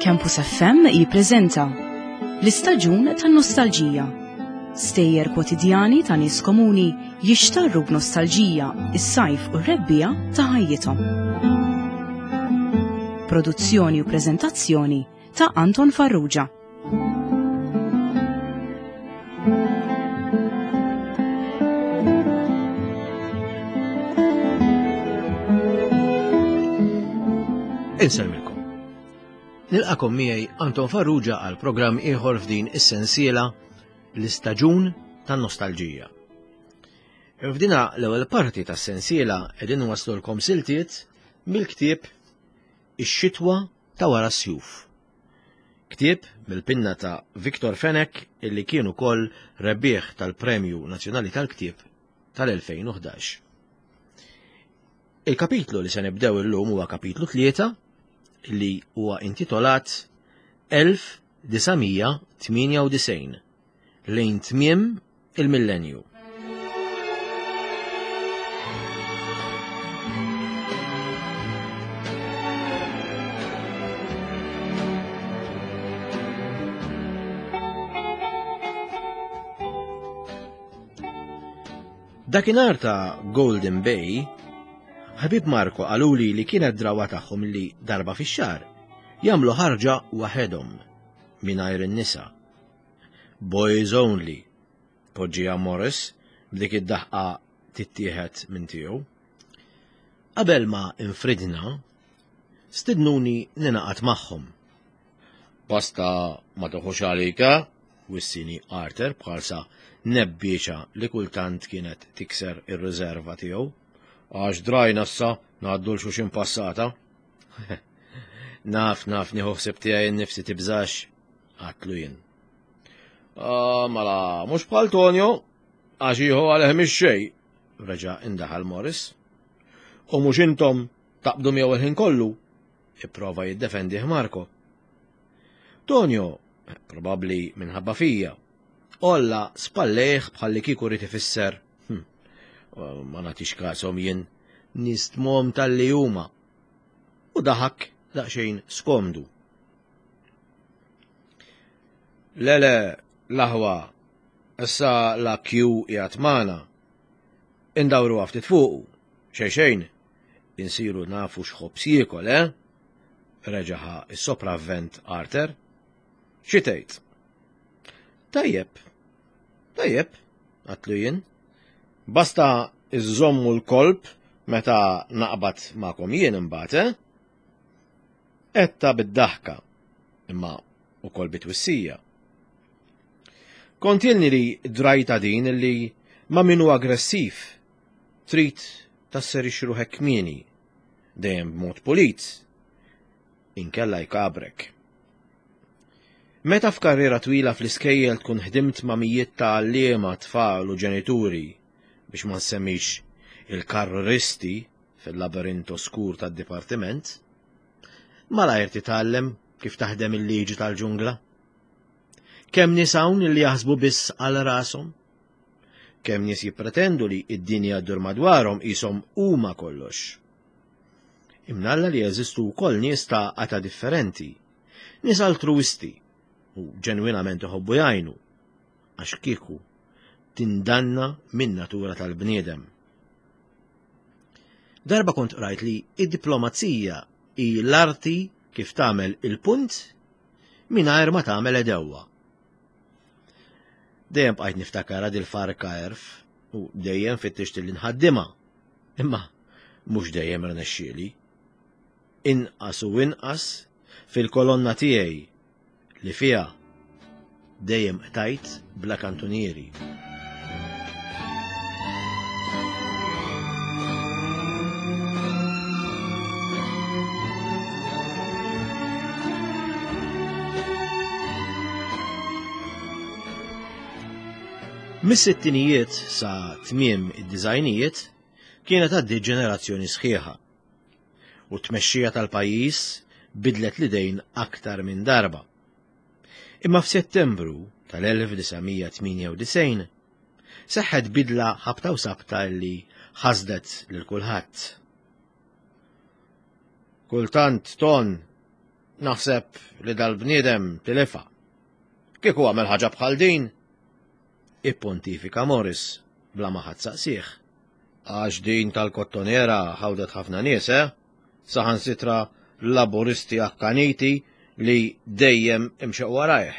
Campus FM jippreżenta l-istaġun tan-nostalġija. Stejjer kwotidjani ta' nies komuni jixtarru b'nostalġija is-sajf u r-rebbiegħa ta' ħajjithom. Produzzjoni u preżentazzjoni ta' Anton Farrugia. Insellmilkom. Nilqakom miegħi Anton Farrugia għal programm ieħor f'din is-sensiela l-istaġun tan-nostalġija. F'dina l-ewwel parti tas-sensiela qegħdin waslulkom siltiet mill-ktieb Ix-xitwa ta' wara s-sjuf. Ktieb mill-pinna ta' Victor Fenech illi kien ukoll rebbieħ tal-Premju Nazzjonali tal-Ktieb tal-2011. Il-kapitlu li se nibdew illum huwa kapitlu 3 li huwa intitolat 1998 lejn tmiem il-millenju. Dakinhar ta' Golden Bay, ħabib Marco qaluli li kienet drawa tagħhom li darba fix-xahar jagħmlu ħarġa waħedhom mingħajr in-nisa. Boys only, poġġiha Morris b'dik id-daħqa tittieħed minn tiegħu. Qabel ma infridna, stidnuni ninaqat magħhom. Basta ma toħux għalika, wissini Arthur bħalsa nebbieċa li kultant kienet tikser ir-riserva tiegħu. Għax drajna issa ngħaddu l-xuxin passata. Naf, naf, nieħu ħsieb tiegħi nnifsi tibżax, għatlu jien. Ah, mela, mhux bħal Tonio, għax jieħu għalih mhix xejn, reġa' indaħal Morris. U mhux intom taqbdu miegħu il-ħin kollu, ipprova jiddefendih Marco. Tonio, probabbli minħabba fija, olla spallejh bħalli kieku rrid ifisser. Hm, ma nagħtix kasom jien nistmom tal-li huma. U daħak daqsxejn skomdu. Le le, l-aħwa, issa la Q qiegħed magħna. Indawru ftit fuqu, xejn xejn, insiru nafu x'ħobż jiekol, eh? Reġa' ħa s-sopravvent Arthur. Xi tgħid? Tajjeb, tajjeb, għatlu jien. Basta iżżommu l-kolb meta naqbad magħkom jien imbagħad, eh? Għedtha bid-daħka, imma ukoll bi twissija. Kont ilni li drajta din li ma' min hu aggressiv trid tasserixxi ruħek kmieni, dejjem b'mod pulit, inkella jkabrek. Meta f'karriera twila fl-iskejjel tkun ħdimt ma' mijiet ta' għalliema, tfal u ġenituri, biex ma nsemmix il-karristi fil-labirint oskur tad-dipartiment, malajr titgħallem kif taħdem il-liġi tal-ġungla. Kemm nies hawn li jaħsbu biss għal rashom? Kemm nies jippretendu li id-dinja ddur madwarhom qishom huma kollox? Imnalla li jeżistu wkoll nies ta' qata differenti, nies altruisti u ġenwinament iħobbu jgħinu, għax kieku tindanna min-natura tal-bniedem. Darba kont qrajt li id-diplomazija hi l-arti kif tagħmel il-punt mingħajr ma tagħmel edewwa. Dejjem bqajt niftakarha dil-farka erf u dejjem fittixt li nħaddimha. Imma mhux dejjem rnexxieli. Inqas u inqas fil-kolonna tiegħi li fiha dejjem qtajt bla kantunieri. Mis-sittinijiet sa tmiem id-dizajnijiet kienet għaddiet ġenerazzjoni sħiħa u t-tmexxija tal-pajjiż bidlet l-idejn aktar minn darba. Imma f'Settembru tal-1998 seħħet bidla ħabta u sabta li ħasdet lil kulħadd. Kultant ton. Naħseb li dal-bniedem tilifha. Kieku għamel ħaġa bħal din, ippontifika Morris bla ma ħadd saqsih. Għax din tal-kottonera ħawdet ħafna nies, eh? Saħansitra laburisti akkaniti li dejjem imxew warajh.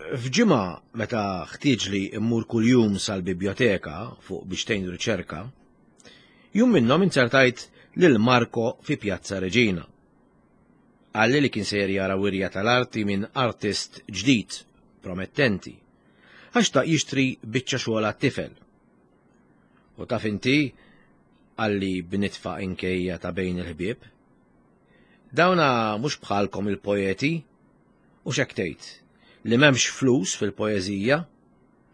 F'ġimgħa meta ħtieġli mmur kuljum sal-bibjoteka fuq biex tgħin riċerka, jum minnhom inzertajt lil Marco fi Pjazza Reġina. Qalli li kien sejjer jara wirja tal-arti minn artist ġdid, promettenti, għax xtaq jixtri biċċa xogħol għat-tifel. U taf inti, qalli b'nitfa inkejja ta' bejn il-ħbieb, dawna mhux bħalkom il-poeti, u x'hekk tgħid, li m'hemmx flus fil-poeżija,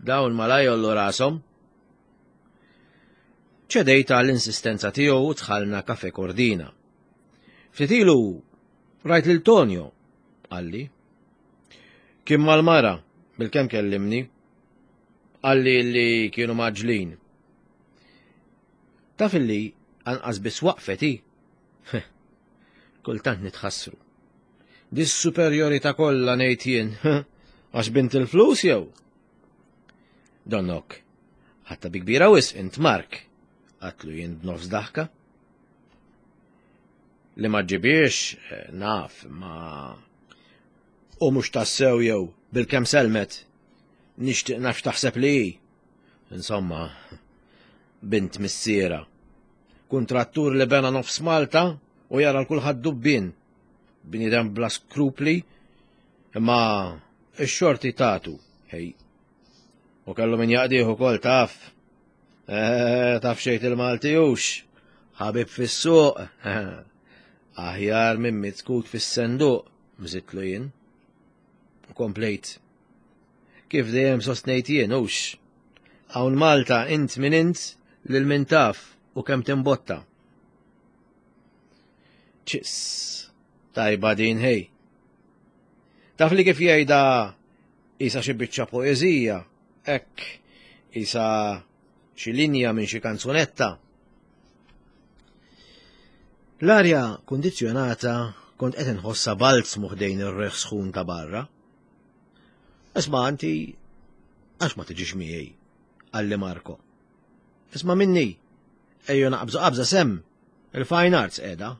dawn malaj jollu rashom. Ċedejt għall-insistenza tiegħu u dħalna Cafe Cordina. Ftit ilu rajt lil Tonio, qalli. Kien mal-mara, bil-kemm kellimni. Qalli li kienu maġlin. Taf illi anqas biss waqfet hi. Kultant nitħassru. Dis-superjorità kollha ngħid jien, għax bint il-flus jew? Donnok, ħatta bi kbira wisq int Mark, għatlu jien b'nofs daħka. Li ma ġibiex, eh, naf, ma. U mhux tassew jew bil-kemm selmet, nixtieq naf taħseb li hi. Insomma, bint missiera. Kuntrattur li bena nofs Malta u jara l-kulħadd dubbien. Bniedem bla skrupli, imma x-xorti tatu, hej. U kellu min jaqdih ukoll taf. Eh, taf xejt il-Malti hux. Ħabib fis-suq. Aħjar minn mitkut fis-senduq, mżitlu jien. U komplejt. Kif dejjem sostnejt jien hux. Hawn Malta int min int lil min taf u kemm timbotta. Ċis, tajba din ħej. Taf li kif jgħidha isa xi biċċa poeżija, hekk isa xi linja minn xi kanzunetta. L-arja kundizzjonata kont qed inħossha balzmu ħdejn ir-riħ sħun ta' barra. Isma' anti għax ma tiġix miegħi, qalli Marco. Isma' minni, ejju naqbżu qabża sem, il-fine arts qiegħda.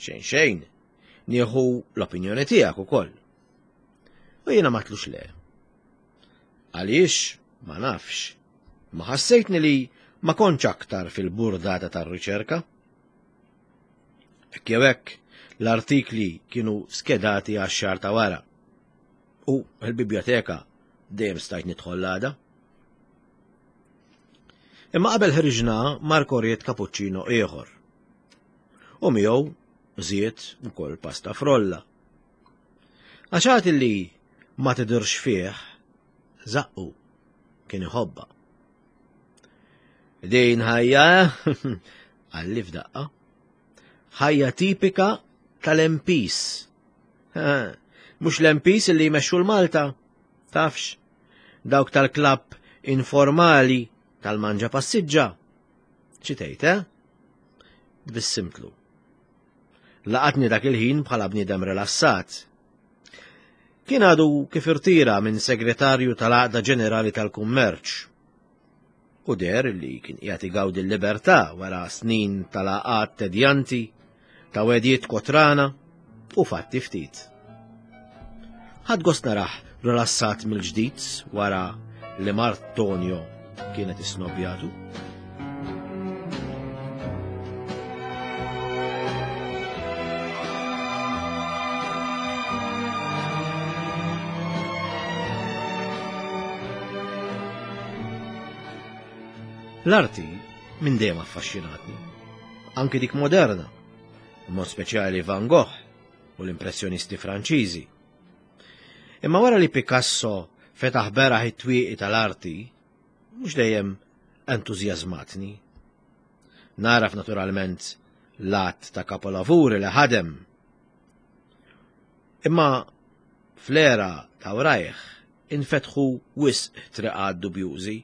Xejn xejn, nieħu l-opinjoni tiegħek ukoll. U jiena ma tlux le. Għaliex ma nafx. Ma ħassejtni li ma kontx aktar fil-burdata tar-riċerka. Hekk jew hekk, l-artikli kienu skedati għax-xahar ta' wara. U l-bibjoteka dejjem stajt nidħol l-għada. Imma qabel ħriġna Marco ried cappuccino ieħor. U miegħu żied ukoll pasta frolla. Għax għad li ma tidhirx fih, żaqqu kien iħobbha. Din ħajja, qalli f'daqqa, ħajja tipika tal-MPs. Mhux l-MPs li jmexxu l-Malta, tafx, dawk tal-klabb informali tal-manġa passiġġa. Xi tgħid, eh? Tbissimtlu. Laqatni dak il-ħin bħala bniedem rilassat. Kien għadu kif irtira minn segretarju tal-Għaqda Ġenerali tal-Kummerċ. U der li kien qiegħed igawdi l-libertà wara snin tal-għaqad tedjanti, ta' wedijiet kotrana u fatti ftit. Ħadd gost narah rilassat mill-ġdid wara li mart Tonio kienet isnobjatu. L-arti minn dejjem affaxxinatni, anki dik moderna, mod speċjali Van Gogh u l-impressjonisti Franċiżi. Imma wara li Picasso fetaħ beraħ it-twieqi tal-arti, mhux dejjem entużjażmatni. Naraf naturalment l-att ta' kapolavuri li ħadem. Imma fl-era ta' wrajh infetħu wisq triqat dubjużi.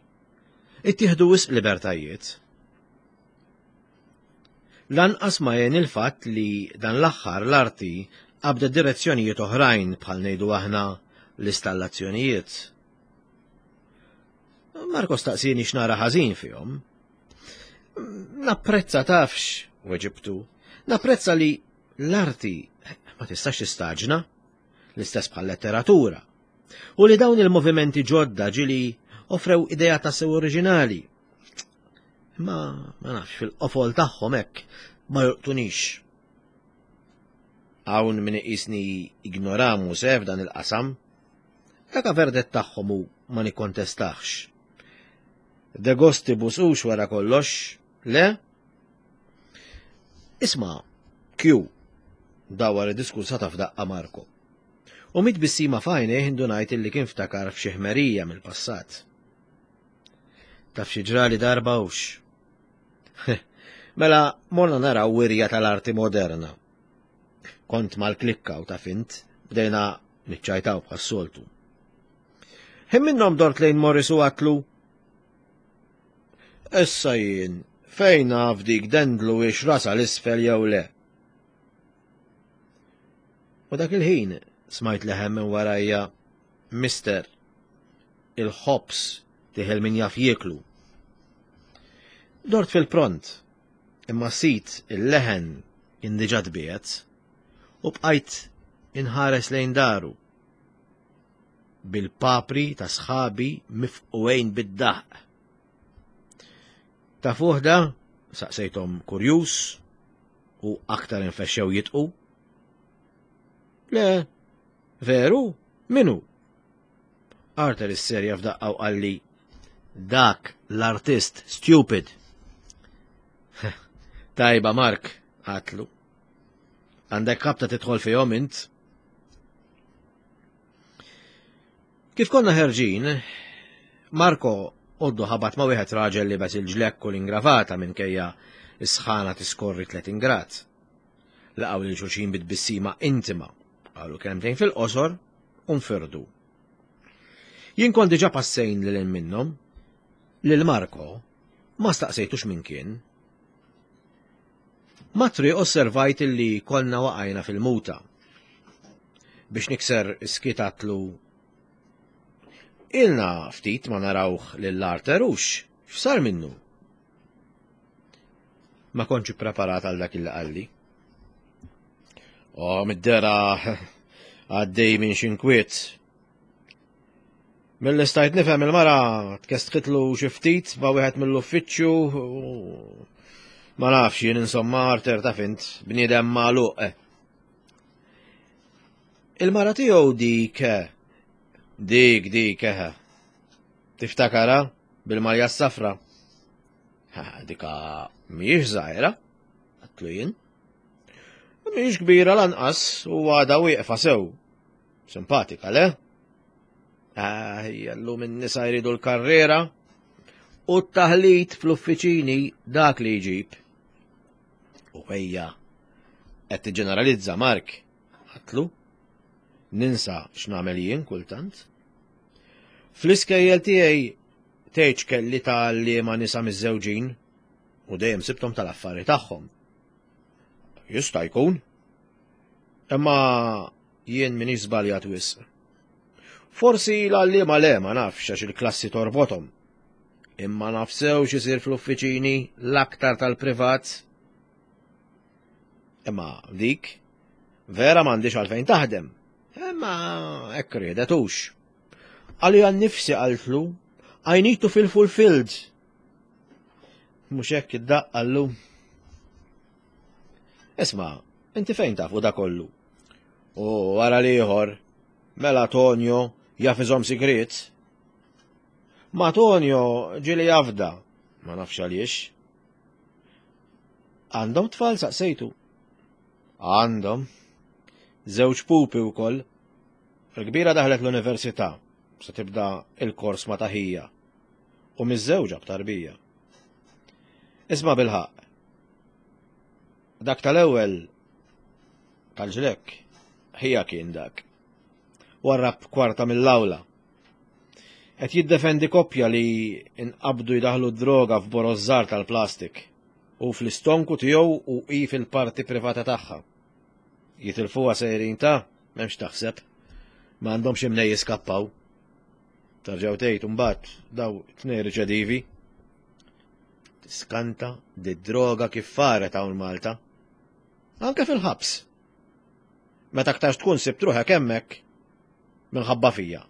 Ittieħdu wisq libertajiet. Lanqas ma jgħin il-fatt li dan l-aħħar l-arti qabdet direzzjonijiet oħrajn bħal ngħidu aħna l-istallazzjonijiet. Marko staqsini x'nara ħażin fihom. Napprezza tafx, weġibtu. Napprezza li l-arti ma tistax tistaġna, l-istess bħal letteratura. U li dawn il-movimenti ġodda ġili offrew idea ta' sew oriġinali. Ma ma nafx fil-qofol tagħhom hekk ma jolqtunix. Hawn min iqisni ignoramu se f'dan il-qasam. Dak verdett tagħhom u ma nikkontestax. De gostibus hux wara kollox, le? Isma' Q dawar id-diskursata f'daqqa Marco. U mit bissima f'għajnejh indunajt illi kien ftakar f'xi ħmerija mill-passat. Taf xi ġrali darba hux. Mela morna naraw wirja tal-arti moderna. Kont mal-klikka u taf int, bdejna niċċajtaw bħas-soltu. Ħin minnhom dort lejn Morris u għatlu. Issa jien, fejn naf dik dendlu ix rasa l-isfel jew le. U dak il-ħin smajt leħem minn warajja, Mister, il-ħobs tiħel min jaf jieklu. Dort fil-pront, imma sit il-leħen kien diġà tbiegħed u bqajt inħares lejn daru bil-papri ta' sħabi mifqugħin bid-daħq. Tafuh da? Saqsejthom kurjuż u aktar infexxew jitqu. Le, veru? Minu? Arthur isserja f'daqqa u qalli dak l-artist stupid. Tajba Mark, għatlu. Għandek kapta tidħol fihom int. Kif konna ħerġin, Marko għoddu ħabat ma' wieħed raġel li bes il-ġlekk u l-ingravata minkejja s-sħana tiskorri 30 grad. Laqgħu lil xulxin bit-tbissima intima, qalu kelmtejn fil-qosor u nfirdu. Jien kont diġà passejn lil minnhom, lil Marko ma staqsejtux min kien. Mat-triq osservajt illi konna waqajna fil-muta. Biex nikser is-skiet għatlu Ilna ftit ma narawh lil Arthur hux, x'sar minnu? Ma kontx ippreparat għal dak illi qalli. Oh, mid-dera għaddej minn xi nkwiet. Mill-li stajt nifhem il-mara tkestħitlu xi ftit ma' wieħed mill-uffiċċju ma nafx jien insomma Arthur taf int bniedem magħluq. Il-mara tiegħu dik dik dik eħe. Tiftakara bil-malja s-safra. Dika mhijiex żgħira, għatlu jien. Mhijiex kbira lanqas u għada wieqfa sew. Simpatika, le? Ah, llum in-nisa jridu l-karriera u t-taħlit fl-uffiċini dak li jġib. U ejja, qed tiġġeneralizza Mark, għatlu. Ninsa x'nagħmel jien kultant. Fl-iskejjel tiegħi tgħidx kelli ta' li ma nisa miżżewġin u dejjem sibtom tal-affari tagħhom. Jista' jkun. Imma jien minix żbaljat wisq. Forsi l-għalliema le ma nafx għax il-klassi torbothom. Imma naf sew x'isir fl-uffiċini l-aktar tal-privat. Imma dik vera m'għandix għalfejn taħdem. Imma hekk riedet hux. Għalija nnifsi qaltlu, I need to feel fulfilled. Mhux hekk id-daqq qallu. Isma', inti fejn tafu da kollu? U wara l-ieħor, mela Tonio jaf iżomm sigriet. Ma Tonio ġieli jafda, ma nafx għaliex. Għandhom tfal saqsejtu. Għandhom. Żewġ pupi wkoll. Il-kbira daħlet l-università, se tibda il-kors ma' taħija. U miż-żewġa b'tarbija. Isma' bilħaqq. Dak tal-ewwel tal-ġlekk ħija kien dak. Warrab kwarta mill-awla. Qed jiddefendi koppja li nqabdu jdaħlu droga f'boroż żgħar tal-plastik. Hu fl-istonku tiegħu u hi fil-parti privata tagħha. Jitilfuha sejrin ta' m'hemmx taħseb. Ma għandhomx imnej jiskappaw. Tarġaw tgħid imbagħad daw tnej riċedivi. Tiskanta di droga kif faret hawn Malta. Anke fil-ħabs. Meta aktarx tkun sibt ruħek hemmhekk minħabba fija.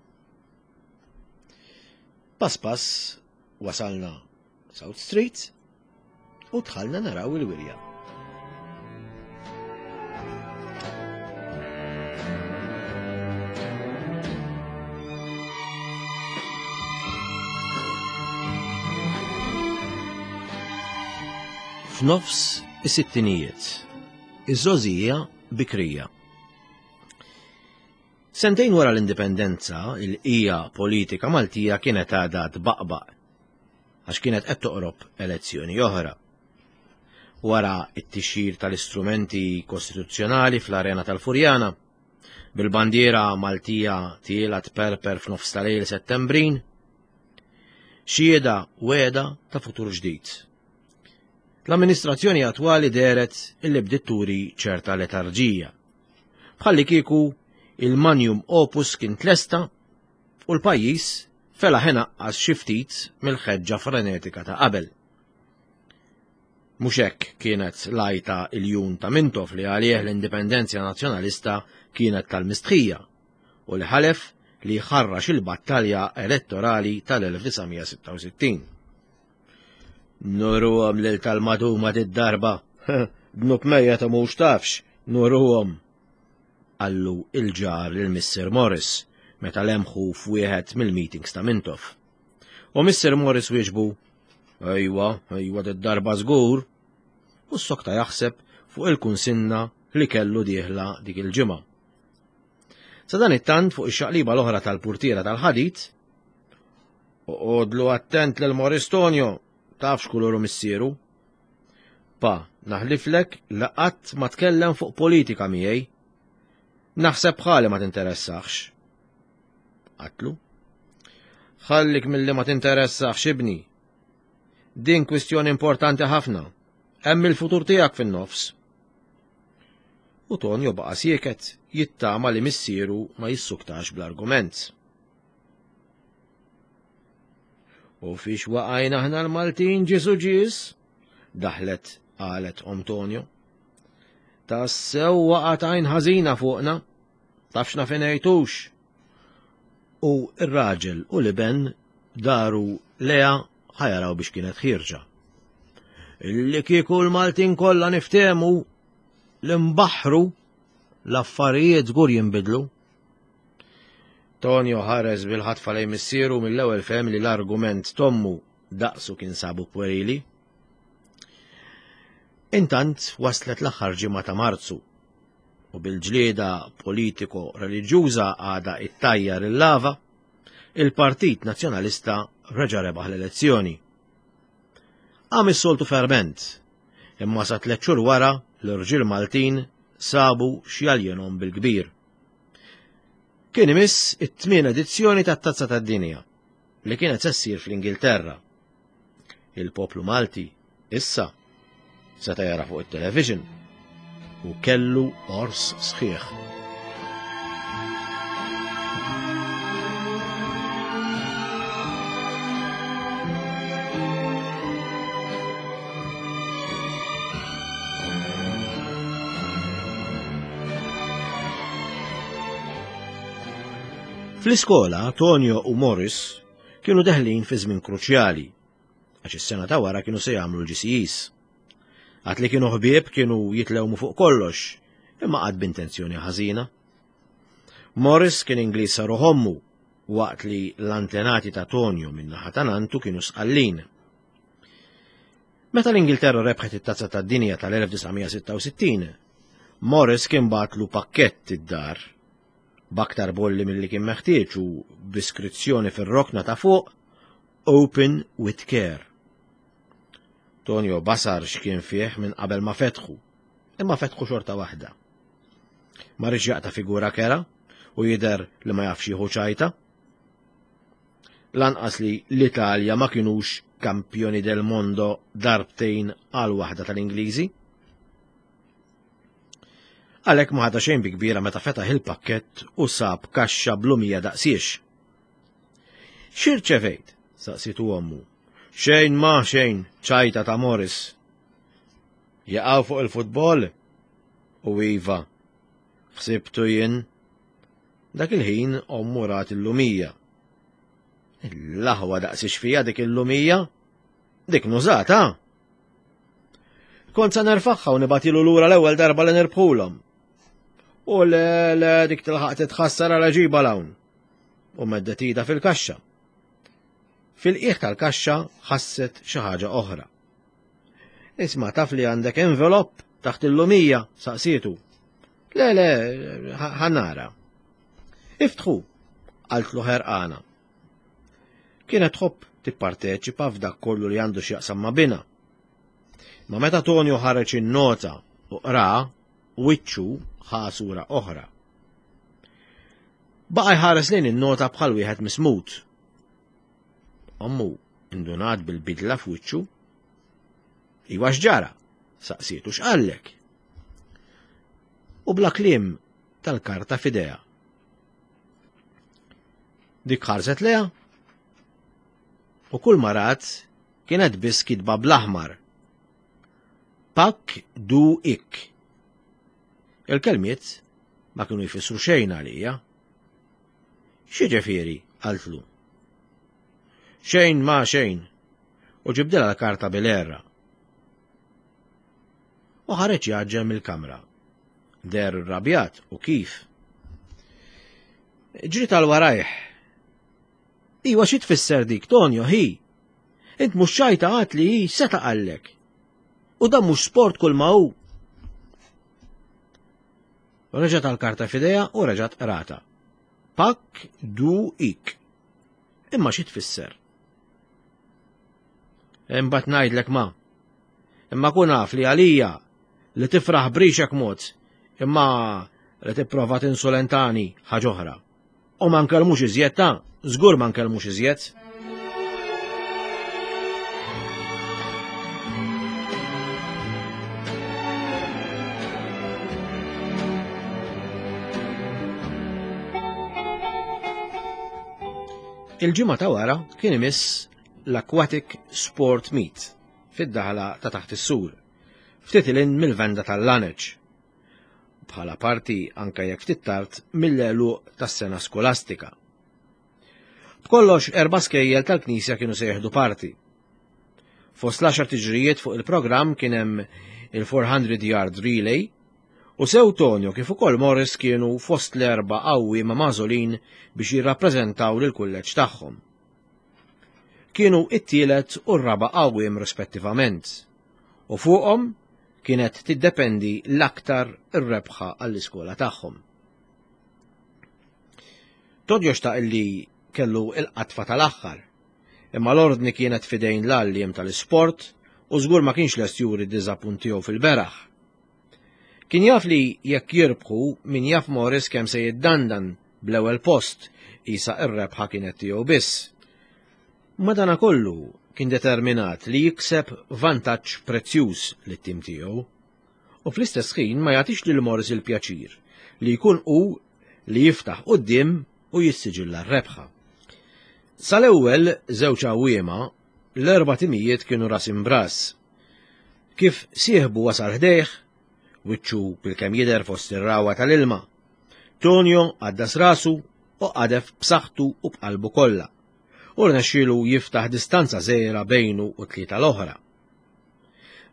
Pass pass wasalna South Street u dħalna naraw il-wirja. F'nofs is-sittinijiet, iż-żgħożija bikrija. Sentejn wara l-indipendenza, il-qija politika Maltija kienet għadha tbaqbaq għax kienet qed toqrob elezzjoni oħra. Wara t-tixjir tal-istrumenti kostituzzjonali fl-arena tal-Furjana, bil-bandiera Maltija tiela tperper f'nofs tal-lejl Settembrin, xhieda wegħda ta' futur ġdid. L-amministrazzjoni attwali dehret illi bdiet turi ċerta letarġija. Bħalli kieku il-manjum opus kien tlesta u l-pajjiż felaħ inaqqas xi ftit mill-ħeġġa frenetika ta' qabel. Mhux hekk kienet l-għajta iljun ta' Mintoff li għalih l-indipendenzja nazzjonalista kienet tal-mistħija u li ħalef li jħarrax il-battalja elettorali tal-1966. Nuruhom lil tal-maduma did-darba, dnub mejjet u mhux tafx, nuruhom. Qallu il-ġar lil Missier Morris meta lemħu f'wieħed mill-meetings ta' Mintoff. U Missier Morris wieġbu, Ejwa, ejwa did-darba żgur. U s-sokta jaħseb fuq il-kunsinna li kellu dieħla dik il-ġimgħa. Sa dan it-tant fuq ix-xaqliba l-oħra tal-purtiera tal-ħadid, Oqgħodlu attent lil Morris Tonio, taf x'kuluru missieru. Pa, naħliflek li qatt ma tkellem fuq politika miegħi. Naħseb bħali ma tinteressax. Qatlu. Ħallik milli ma tinteressax ibni. Din kwistjoni importanti ħafna. Hemm il-futur tiegħek fin-nofs. U Tonio baqa' sieket jittama li missieru ma jissuktax bl-argument. U fiex waqajna aħna l-Maltin ġisu ġis? Daħlet qalet Antonio. Tassew waqgħet għajn ħażina fuqna, tafx naf inejtux. U r-raġel u l-iben daru lea ħajaraw biex kienet ħierġa. Illi kieku l-Maltin kollha niftehmu l-imbaħru l-affarijiet żgur jinbidlu. Tonio ħares bil-ħatfa lejn missieru mill-ewwel fehem li l-argument t'ommu daqsu kien sabu pwerili. Intant waslet l-aħħar ġimgħa ta' Marzu u bil-ġlieda politiko-reliġjuża għadha ittajjar il-lava, il-Partit Nazzjonalista reġa' rebaħ l-elezzjoni. Qam is-soltu ferment, imma sa tliet xhur wara l-irġiel Maltin sabu x'jaljenhom bil-kbir. Kien imiss it-tmien edizzjoni tat-Tazza tad-Dinja li kienet se ssir fl-Ingilterra. Il-poplu Malti issa seta' jara fuq it-television u kellu ors sħiħ. Fl-iskola, Tonio u Morris kienu deħlin fi żmien kruċjali, għax is-sena ta' wara kienu se jagħmlu l-GCEs. Għad li kienu ħbieb kienu jitlewmu fuq kollox, imma qatt b'intenzjoni ħażina. Morris kien Ingliż sa ruħommu, waqt li l-antenati ta' Tonio minn naħa ta' nantu kienu Sqallin. Meta l-Ingilterra rebħet it-Tazza tad-Dinja tal-1966, Morris kien bagħatlu pakkett id-dar b'aktar bolli milli kien meħtieġ u b'iskrizzjoni fir-rokna ta' fuq Open with Care. Tonio basar x'kien fih minn qabel ma fetħu, imma fetħu xorta waħda. Ma rridx jaqta' figura kera u jidher li ma jafx jieħu ċajta. Lanqas li l-Italja ma kinux kampjoni del mondo darbtejn għal waħda tal-Ingliżi. Għalhekk ma ħadha xejn bi kbira meta fetaħ il-pakkett u sab kaxxa blumija daqsiex. X'irċevejt? saqsitu ommu. Xejn ma xejn, ċajta ta' Morris. Jaqgħu fuq il-futbol? U iva, ħsibtu jien. Dak il-ħin ommu rat il-lumija. L-aħwa daqsiex fija dik il-lumija? Dik nużata? Kont sa nerfaħħa u nibatilu lura l-ewwel darba li nirbħulhom. U le le dik tilħaq titħassar għal ġiba l-hawn. U meddet ida fil-kaxxa. Fil-qiegħ tal-kaxxa ħasset xi ħaġa oħra. Isma' taf li għandek envelop taħt il-lumija, saqsietu. Le, le, ħanara. Iftħu, qaltlu ħerqana. Kienet tħobb tipparteċipa f'dak kollu li għandu x'jaqsam ma' binha. Ma meta Tonio ħareġ in-nota u qra, wiċċu ħa sura oħra. Baqa' jħares lejn in-nota bħal wieħed mismut. Ommu indunat bil-bidla f'wiċċu. Iwa x'ġara? Saqsietu x'qallek? U bla kliem tal-karta f'idejha. Dik ħarset leha u kull ma rat kienet biss kitba bl-aħmar. Pak du ik. Il-kelmiet ma kienu jfissru xejn għalija. X'jiġifieri? qaltlu. Xejn ma xejn. U ġibdilha l-karta bil-għerra. U ħareġ jgħaġġel mill-kamra. Deher irrabjat u kif. Ġriet għal warajh. Iwa xi tfisser dik, Tonio, hi? Int mhux ċajta għad li hi seta' qallek. U dan mhux sport kull ma hu. Reġgħet għall-karta f'idejha u reġgħet qrata. Pak du ik. Imma xi tfisser? Imbagħad ngħidlek ma. Imma kun af li għalija li tifraħ brixek mod, imma li tipprova tinsulentani ħaġa oħra. U ma nkellmux iżjed ta' żgur ma nkellmux iżjed. Il-ġimgħa ta' wara kien imiss l-Aquatic Sport Meet fid-daħla ta' taħt is-sur, ftit ilin mill-venda tal-laneċ. Bħala parti anke jekk ftit tard mill-għeluq tas-sena skolastika. B'kollox erba' skejjel tal-Knisja kienu se jieħdu parti. Fost l-għaxar tiġrijiet fuq il-programm kien hemm il-400 yard relay u sew Tonio kif ukoll Morris kienu fost l-erba' għawwiema magħżulin biex jirrappreżentaw lill-kulleġġ tagħhom. Kienu it-tielet u r-raba' għawwiem rispettivament u fuqhom kienet tiddependi l-aktar ir-rebħa għall-iskola tagħhom. Tonio xtaq li kellu il-qatfa tal-aħħar, imma l-ordni kienet fidejn l-għalliem tal-isport u żgur ma kienx lest juri d-diżappunt tiegħu fil-beraħ. Kien jaf li jekk jirbħu min jaf Morris kemm se jiddandan bl-ewwel post qisha r-rebħa kienet tiegħu biss. Madanakollu kien determinat li jikseb vantaġġ prezzjuż lit-tim tiegħu u fl-istess ħin ma jagħtix lil Morris il-pjaċir li jkun hu li jiftaħ quddiem u jissiġilla r-rebħa. Sal-ewwel żewġ għawwiema, l-erba' timijiet kienu ras imbras. Kif sieħbu wasal ħdejh, wiċċu bilkemm jidher fost ir-ragħwa tal-ilma. Tonio għaddas rasu u qadef b'saħħtu u b'qalbu kollha. U rnexxielu jiftaħ distanza żgħira bejnu u tlieta l-oħra.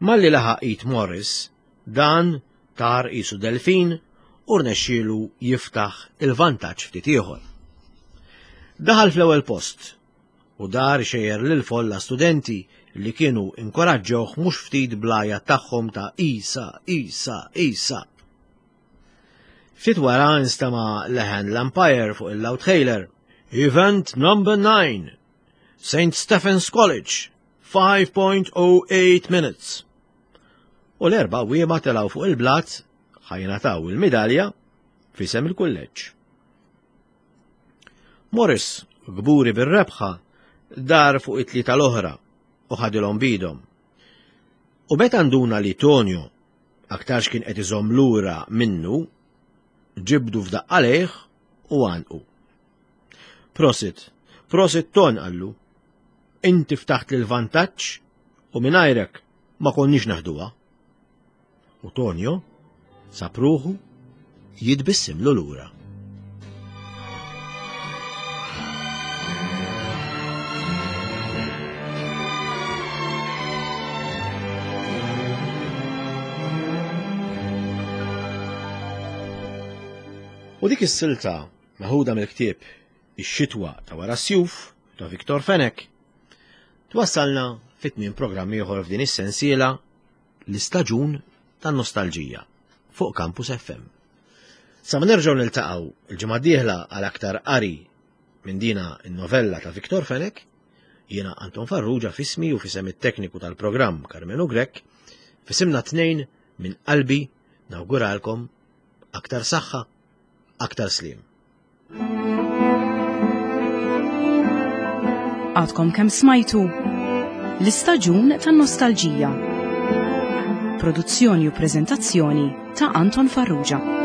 Malli laħaq id Morris, dan tar qisu delfin u rnexxielu jiftaħ il-vantaġġ ftit ieħor. Daħal fl-ewwel post u dar xejjer lil folla studenti li kienu inkoraġġewh mhux ftit bl-għajat tagħhom ta' Isa, Isa, Isa. Ftit wara nstema' leħen l-umpire fuq il-loudhailer. Event number 9, St. Stephen's College, 5.08 minutes. U l-erba' wiema telgħu fuq il-blat ħajnataw il-midalja fisem il-kulleġġ. Morris, kburi bir-rebħa, Dar fuq it-tlieta l-oħra u ħadilhom bidhom. U meta nduna li Tonio aktarx kien qed iżomm lura minnu, ġibdu f'daqqa lejh u għanqu. Prosit, prosit Ton qallu. Inti ftaħt lil vantaġġ u mingħajrek ma konniex naħduha. U Tonio sab ruħu jitbissimlu lura. U dik is-silta meħuda mill-ktieb Ix-xitwa ta' wara s-sjuf ta' Victor Fenech twassalna fit-tmiem programm ieħor f'din is-sensiela l-istaġun tan-nostalġija fuq Campus FM. Sa ma nerġgħu niltaqgħu il-ġimgħa d-dieħla għal aktar qari minn dina n-novella ta' Victor Fenech, jiena Anton Farrugia fismi u fisem it-tekniku tal-programm Carmenu Grech, fisimna tnejn minn qalbi nawguralkom aktar saħħa, aktar sliem. Għadkom kemm smajtu l-istaġun tan-nostalġija. Produzzjoni u preżentazzjoni ta' Anton Farrugia.